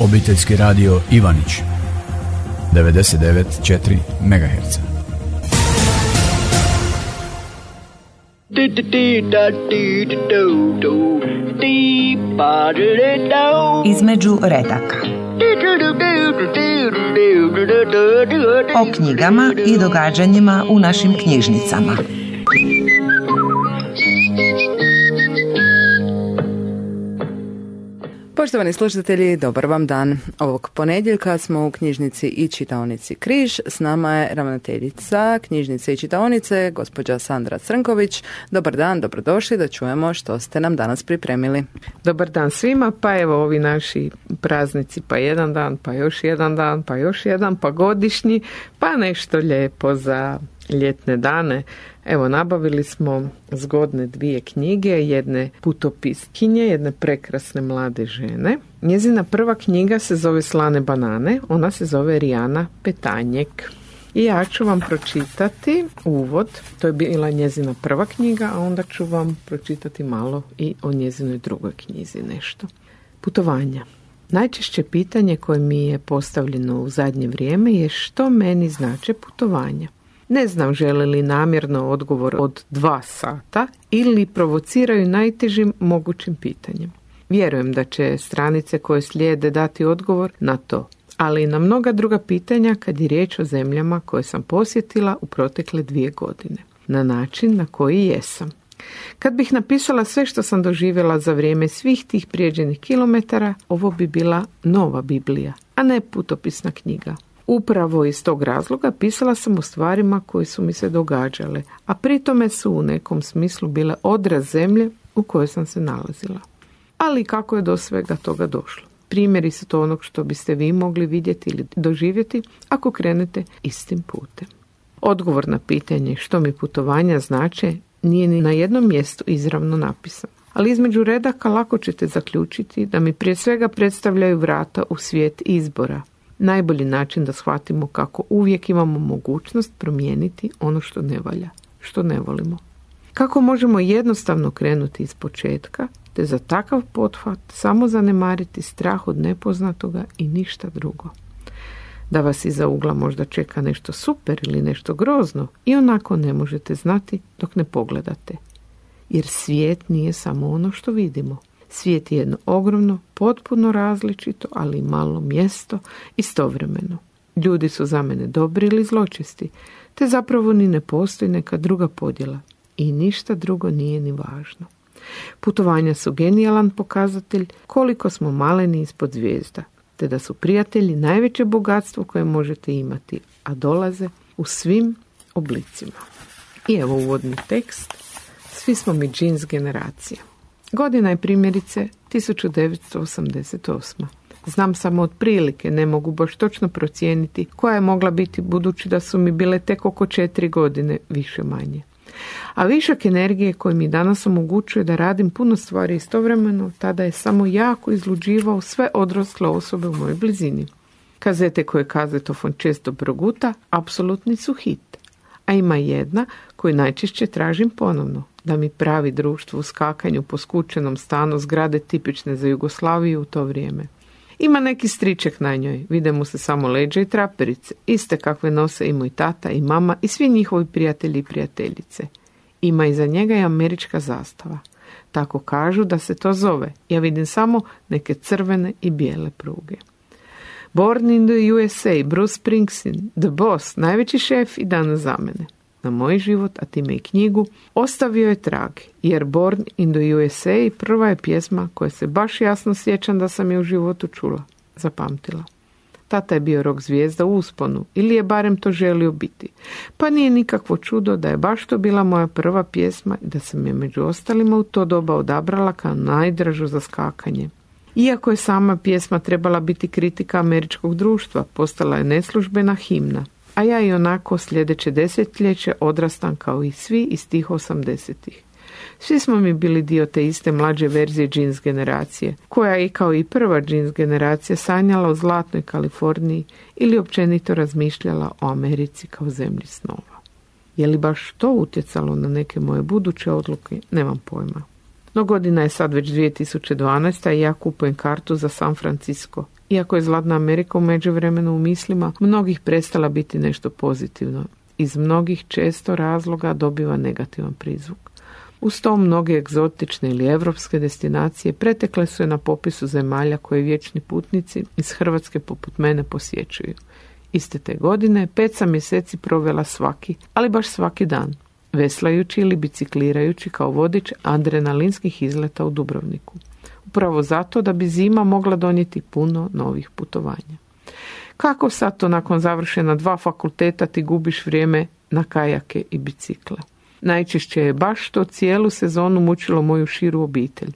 Obiteljski radio Ivanić 99,4 MHz. Između redaka. O knjigama i događanjima u našim knjižnicama. Poštovani slušatelji, dobar vam dan. Ovog ponedjeljka smo u knjižnici i čitaonici Križ. S nama je ravnateljica knjižnice i čitaonice, gospođa Sandra Crnković. Dobar dan, dobrodošli da čujemo što ste nam danas pripremili. Dobar dan svima, pa evo ovi naši praznici, pa jedan dan, pa još jedan dan, pa još jedan, pa godišnji, pa nešto lijepo za ljetne dane. Evo, nabavili smo zgodne 2 knjige, jedne putopiskinje, jedne prekrasne mlade žene. Njezina prva knjiga se zove Slane banane, ona se zove Rijana Petanjek. I ja ću vam pročitati uvod, to je bila njezina prva knjiga, a onda ću vam pročitati malo i o njezinoj drugoj knjizi nešto. Putovanja. Najčešće pitanje koje mi je postavljeno u zadnje vrijeme je što meni znače putovanja. Ne znam žele li namjerno odgovor od 2 sata ili provociraju najtežim mogućim pitanjem. Vjerujem da će stranice koje slijede dati odgovor na to, ali i na mnoga druga pitanja kad je riječ o zemljama koje sam posjetila u protekle 2 godine, na način na koji jesam. Kad bih napisala sve što sam doživjela za vrijeme svih tih prijeđenih kilometara, ovo bi bila nova Biblija, a ne putopisna knjiga. Upravo iz tog razloga pisala sam o stvarima koje su mi se događale, a pritome su u nekom smislu bile odraz zemlje u kojoj sam se nalazila. Ali kako je do svega toga došlo? Primjeri su to onog što biste vi mogli vidjeti ili doživjeti ako krenete istim putem. Odgovor na pitanje što mi putovanja znače nije ni na jednom mjestu izravno napisan. Ali između redaka lako ćete zaključiti da mi prije svega predstavljaju vrata u svijet izbora. Najbolji način da shvatimo kako uvijek imamo mogućnost promijeniti ono što ne valja, što ne volimo. Kako možemo jednostavno krenuti iz početka, te za takav pothvat samo zanemariti strah od nepoznatoga i ništa drugo. Da vas iza ugla možda čeka nešto super ili nešto grozno i onako ne možete znati dok ne pogledate. Jer svijet nije samo ono što vidimo. Svijet je jedno ogromno, potpuno različito, ali malo mjesto istovremeno. Ljudi su za mene dobri ili zločesti, te zapravo ni ne postoji neka druga podjela i ništa drugo nije ni važno. Putovanja su genijalan pokazatelj koliko smo maleni ispod zvijezda, te da su prijatelji najveće bogatstvo koje možete imati, a dolaze u svim oblicima. I evo uvodni tekst. Svi smo mi džins generacija. Godina je primjerice 1988. Znam samo otprilike, ne mogu baš točno procijeniti koja je mogla biti budući da su mi bile tek oko 4 godine, više manje. A višak energije koji mi danas omogućuje da radim puno stvari istovremeno, tada je samo jako izluđivao sve odrasle osobe u mojoj blizini. Kazete koje kazetofon često proguta, apsolutni su hit. A ima jedna koju najčešće tražim ponovno, da mi pravi društvo u skakanju po skučenom stanu zgrade tipične za Jugoslaviju u to vrijeme. Ima neki striček na njoj, vide mu se samo leđa i traperice, iste kakve nose i moj tata i mama i svi njihovi prijatelji i prijateljice. Ima iza njega i američka zastava. Tako kažu da se to zove, ja vidim samo neke crvene i bijele pruge. Born in the USA, Bruce Springsteen, The Boss, najveći šef i danas za mene. Na moj život, a time i knjigu, ostavio je trag, jer Born in the USA prva je pjesma koja se baš jasno sjećam da sam je u životu čula, zapamtila. Tata je bio rock zvijezda u usponu, ili je barem to želio biti. Pa nije nikakvo čudo da je baš to bila moja prva pjesma i da sam je među ostalima u to doba odabrala kao najdražu za skakanje. Iako je sama pjesma trebala biti kritika američkog društva, postala je neslužbena himna. A ja i onako sljedeće desetljeće odrastam kao i svi iz tih 80-ih. Svi smo mi bili dio te iste mlađe verzije džins generacije, koja je kao i prva džins generacija sanjala o zlatnoj Kaliforniji ili općenito razmišljala o Americi kao zemlji snova. Je li baš to utjecalo na neke moje buduće odluke, nemam pojma. No godina je sad već 2012. i ja kupujem kartu za San Francisco. Iako je Zlatna Amerika u međuvremenu u mislima mnogih prestala biti nešto pozitivno, iz mnogih često razloga dobiva negativan prizvuk. Uz to mnoge egzotične ili evropske destinacije pretekle su je na popisu zemalja koje vječni putnici iz Hrvatske poput mene posjećuju. Iste te godine 5 sam mjeseci provela svaki, ali baš svaki dan, veslajući ili biciklirajući kao vodič adrenalinskih izleta u Dubrovniku. Upravo zato da bi zima mogla donijeti puno novih putovanja. Kako sad to nakon završena 2 fakulteta ti gubiš vrijeme na kajake i bicikle? Najčešće je baš to cijelu sezonu mučilo moju širu obitelj.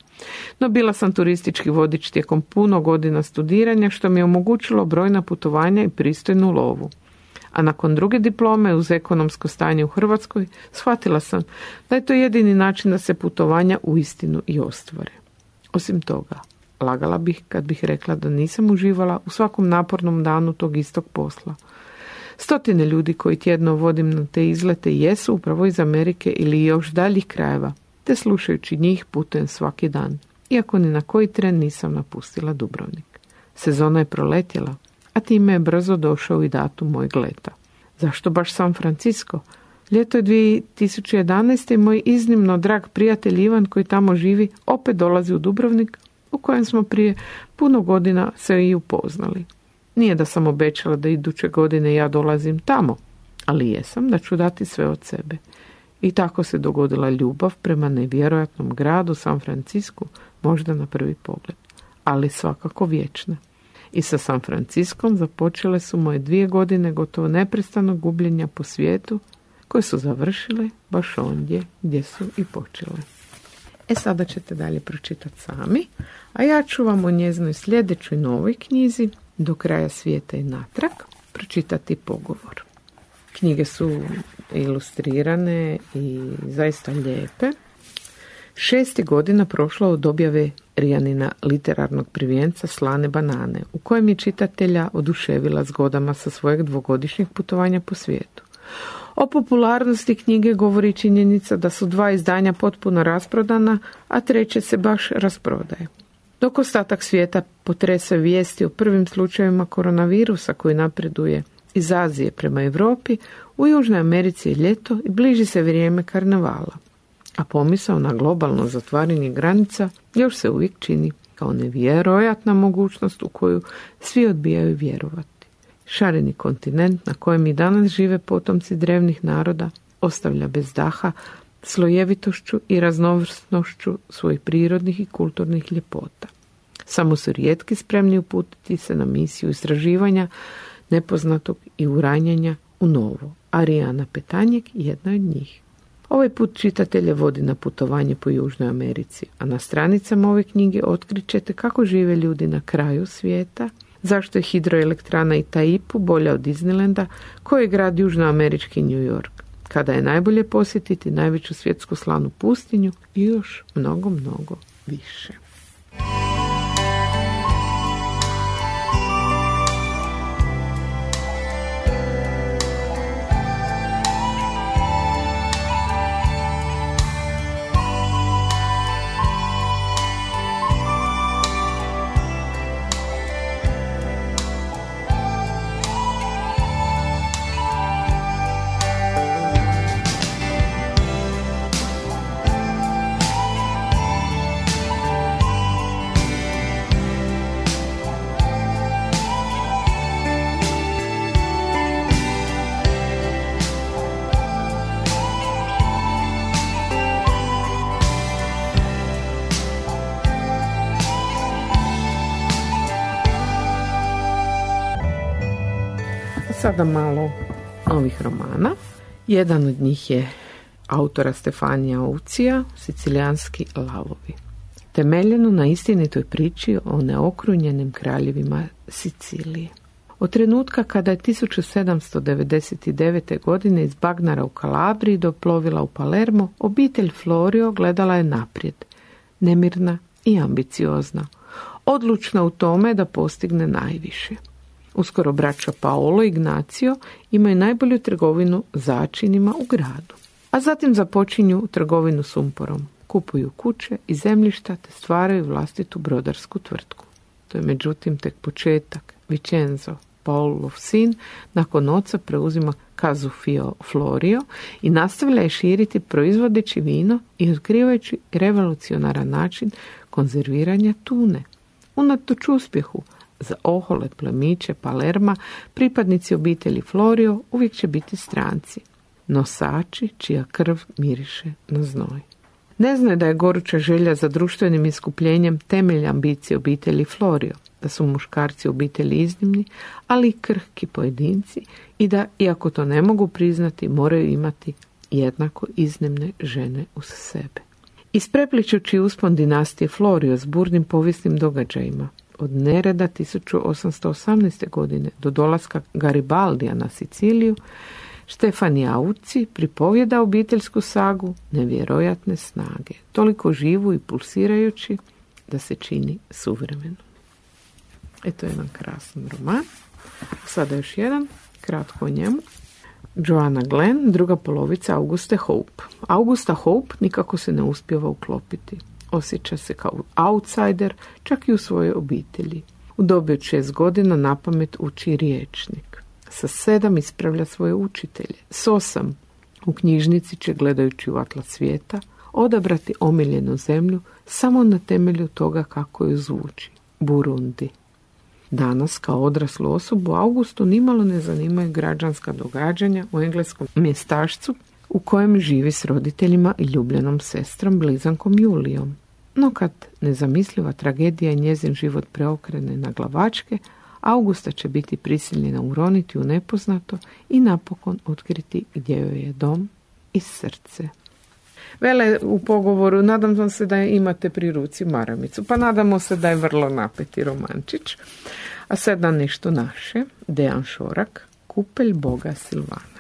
No bila sam turistički vodič tijekom puno godina studiranja, što mi je omogućilo brojna putovanja i pristojnu lovu. A nakon druge diplome uz ekonomsko stanje u Hrvatskoj shvatila sam da je to jedini način da se putovanja uistinu i ostvare. Osim toga, lagala bih kad bih rekla da nisam uživala u svakom napornom danu tog istog posla. Stotine ljudi koji tjedno vodim na te izlete jesu upravo iz Amerike ili još daljih krajeva, te slušajući njih putujem svaki dan, iako ni na koji tren nisam napustila Dubrovnik. Sezona je proletjela, a time je brzo došao i datum mojeg leta. Zašto baš San Francisco? Ljeto je 2011. i moj iznimno drag prijatelj Ivan, koji tamo živi, opet dolazi u Dubrovnik, u kojem smo prije puno godina se i upoznali. Nije da sam obećala da iduće godine ja dolazim tamo, ali jesam da ću dati sve od sebe. I tako se dogodila ljubav prema nevjerojatnom gradu San Francisku, možda na prvi pogled, ali svakako vječna. I sa San Franciskom započele su moje 2 godine gotovo neprestanog gubljenja po svijetu, koje su završile baš ondje gdje su i počele. Sada ćete dalje pročitati sami, a ja ću vam o njezinoj sljedećoj novoj knjizi Do kraja svijeta i natrag pročitati pogovor. Knjige su ilustrirane i zaista lijepe. 6 godina prošlo od objave Rijanina literarnog prvenca Slane banane, u kojem je čitatelja oduševila zgodama sa svojeg 2-godišnjeg putovanja po svijetu. O popularnosti knjige govori činjenica da su 2 izdanja potpuno rasprodana, a 3 se baš rasprodaje. Dok ostatak svijeta potresa vijesti o prvim slučajevima koronavirusa koji napreduje iz Azije prema Europi, u Južnoj Americi je ljeto i bliži se vrijeme karnevala. A pomisao na globalno zatvaranje granica još se uvijek čini kao nevjerojatna mogućnost u koju svi odbijaju vjerovati. Šareni kontinent na kojem i danas žive potomci drevnih naroda ostavlja bez daha slojevitošću i raznovrsnošću svojih prirodnih i kulturnih ljepota. Samo su rijetki spremni uputiti se na misiju istraživanja nepoznatog i uranjanja u novo, a Rijana Petanjek jedna od njih. Ovaj put čitatelje vodi na putovanje po Južnoj Americi, a na stranicama ove knjige otkrićete kako žive ljudi na kraju svijeta, zašto je hidroelektrana Itaipu bolja od Disneylanda, koji je grad južnoamerički New York, kada je najbolje posjetiti najveću svjetsku slanu pustinju i još mnogo, mnogo više. Sada malo novih romana. Jedan od njih je autora Stefanija Ucija, Sicilijanski lavovi. Temeljeno na istinitoj priči o neokrunjenim kraljevima Sicilije. Od trenutka kada je 1799. godine iz Bagnara u Kalabriji doplovila u Palermo, obitelj Florio gledala je naprijed, nemirna i ambiciozna, odlučna u tome da postigne najviše. Uskoro braća Paolo i Ignacio imaju najbolju trgovinu začinima u gradu. A zatim započinju trgovinu sumporom, kupuju kuće i zemljišta te stvaraju vlastitu brodarsku tvrtku. To je međutim tek početak. Vincenzo, Paolov sin, nakon oca preuzima Casu Florio i nastavlja je širiti proizvodeći vino i otkrivajući revolucionaran način konzerviranja tune. Unatoč uspjehu za ohole plemiće Palerma, pripadnici obitelji Florio uvijek će biti stranci, nosači čija krv miriše na znoj. Ne znaju da je goruća želja za društvenim iskupljenjem temelj ambicije obitelji Florio, da su muškarci obitelji iznimni, ali i krhki pojedinci i da, iako to ne mogu priznati, moraju imati jednako iznimne žene uz sebe. Isprepličući uspon dinastije Florio s burnim povijesnim događajima, od nereda 1818. godine do dolaska Garibaldija na Siciliju, Štefan Jauci pripovjeda obiteljsku sagu nevjerojatne snage, toliko živu i pulsirajući da se čini suvremeno. Eto jedan krasan roman. Sada još jedan, kratko o njemu. Joanna Glenn, druga polovica Auguste Hope. Augusta Hope nikako se ne uspijeva uklopiti. Osjeća se kao outsider, čak i u svojoj obitelji. U dobi od 6 godina napamet uči riječnik. Sa 7 ispravlja svoje učitelje. S 8 u knjižnici će, gledajući u atlas svijeta, odabrati omiljenu zemlju samo na temelju toga kako ju zvuči. Burundi. Danas, kao odraslu osobu, Augustu nimalo ne zanimaju građanska događanja u engleskom mjestašcu u kojem živi s roditeljima i ljubljenom sestrom, blizankom Julijom. No kad nezamisliva tragedija i njezin život preokrene na glavačke, Augusta će biti prisiljena uroniti u nepoznato i napokon otkriti gdje joj je dom i srce. Vele u pogovoru, nadam se da imate pri ruci maramicu, pa nadamo se da je vrlo napeti romančić. A sada nešto naše, Dejan Šorak, Kupelj boga Silvana.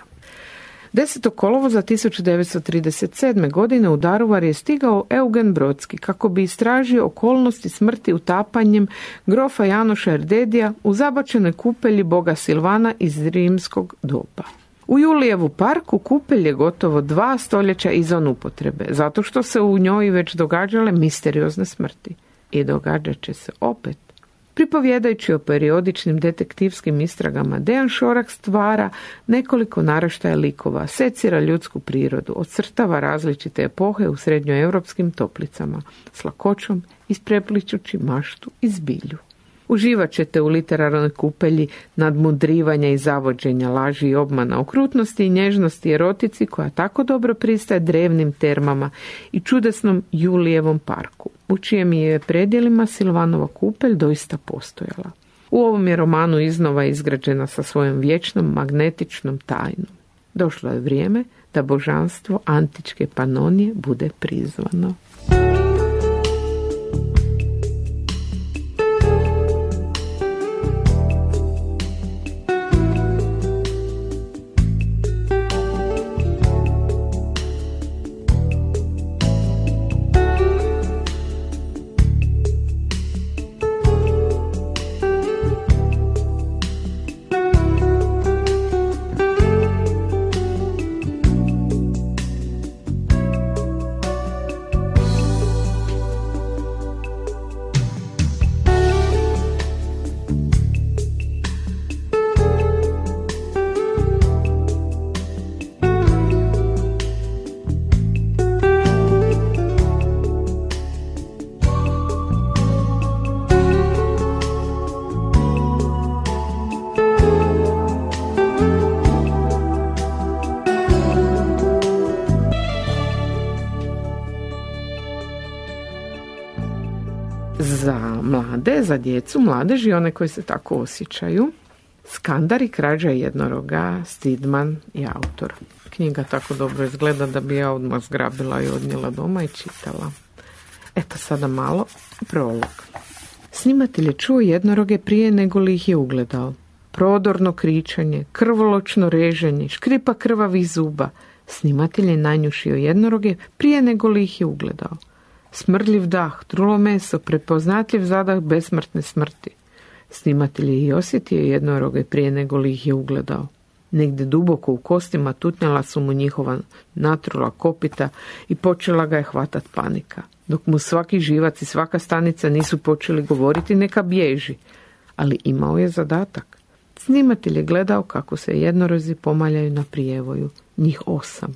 10. kolovoza 1937. godine u Daruvar je stigao Eugen Brodski kako bi istražio okolnosti smrti utapanjem grofa Janoša Erdedija u zabačenoj kupelji boga Silvana iz rimskog doba. U Julijevu parku kupelj je gotovo 2 stoljeća izvan upotrebe, zato što se u njoj već događale misteriozne smrti. I događat će se opet. Pripovjedajući o periodičnim detektivskim istragama, Dejan Šorak stvara nekoliko naraštaja likova, secira ljudsku prirodu, ocrtava različite epohe u srednjoeuropskim toplicama, s lakoćom isprepličući maštu i zbilju. Uživat ćete u literarnoj kupelji nadmudrivanja i zavođenja, laži i obmana, okrutnosti i nježnosti i erotici koja tako dobro pristaje drevnim termama i čudesnom Julijevom parku, u čijem je predjelima Silvanova kupelj doista postojala. U ovom je romanu iznova izgrađena sa svojom vječnom magnetičnom tajnom. Došlo je vrijeme da božanstvo antičke Panonije bude prizvano. Za mlade, za djecu, mladež i one koji se tako osjećaju, Skandar i krađa jednoroga, Stidman i autor. Knjiga tako dobro izgleda da bi ja odmah zgrabila i odnijela doma i čitala. Eto sada malo prolog. Snimatelj je čuo jednoroge prije nego li ih je ugledao. Prodorno kričanje, krvoločno reženje, škripa krvavih zuba. Snimatelj je nanjušio jednoroge prije nego li ih je ugledao. Smrdljiv dah, trulo meso, prepoznatljiv zadah besmrtne smrti. Snimatelj je i osjetio jednoroge prije nego li ih je ugledao. Negdje duboko u kostima tutnjala su mu njihova natrula kopita i počela ga je hvatat panika. Dok mu svaki živac i svaka stanica nisu počeli govoriti neka bježi, ali imao je zadatak. Snimatelj je gledao kako se jednorozi pomaljaju na prijevoju, njih 8.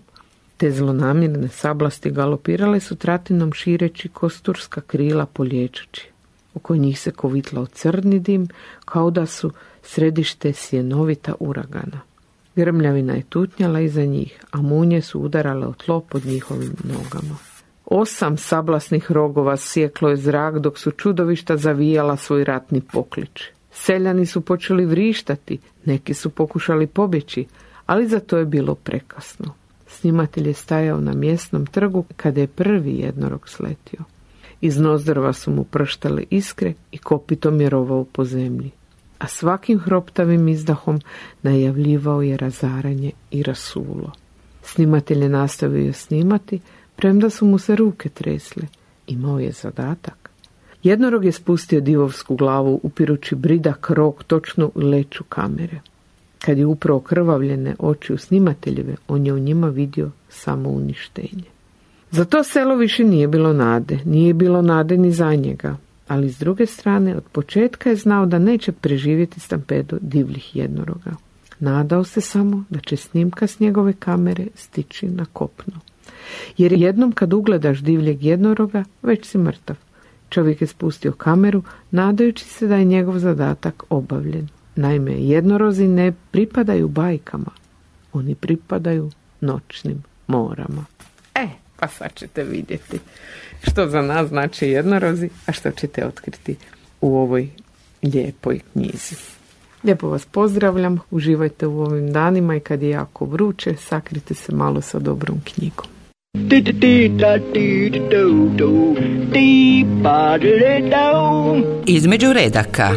Te zlonamjerne sablasti galopirale su tratinom šireći kosturska krila polječući. Oko njih se kovitlao crni dim, kao da su središte sjenovita uragana. Grmljavina je tutnjala iza njih, a munje su udarale o tlo pod njihovim nogama. 8 sablasnih rogova sjeklo je zrak dok su čudovišta zavijala svoj ratni poklič. Seljani su počeli vrištati, neki su pokušali pobjeći, ali za to je bilo prekasno. Snimatelj je stajao na mjesnom trgu kada je prvi jednorog sletio. Iz nozdrva su mu prštale iskre i kopitom je rovao po zemlji. A svakim hroptavim izdahom najavljivao je razaranje i rasulo. Snimatelj je nastavio snimati, premda su mu se ruke tresle. Imao je zadatak. Jednorog je spustio divovsku glavu upirući bridak rog točno u leću kamere. Kad je upravo krvavljene oči u snimateljeve, on je u njima vidio samo uništenje. Za to selo više nije bilo nade, nije bilo nade ni za njega, ali s druge strane od početka je znao da neće preživjeti stampedo divljih jednoroga. Nadao se samo da će snimka s njegove kamere stići na kopno. Jer jednom kad ugledaš divljeg jednoroga, već si mrtav. Čovjek je spustio kameru, nadajući se da je njegov zadatak obavljen. Naime, jednorozi ne pripadaju bajkama, oni pripadaju noćnim morama. Pa sad ćete vidjeti što za nas znači jednorozi, a što ćete otkriti u ovoj lijepoj knjizi. Lijepo vas pozdravljam, uživajte u ovim danima i kad je jako vruće, sakrite se malo sa dobrom knjigom. Između redaka.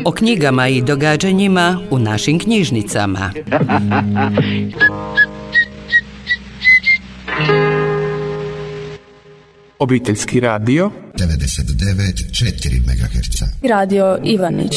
O knjigama i događanjima u našim knjižnicama. Obiteljski radio 99,4 MHz. Radio Ivanić.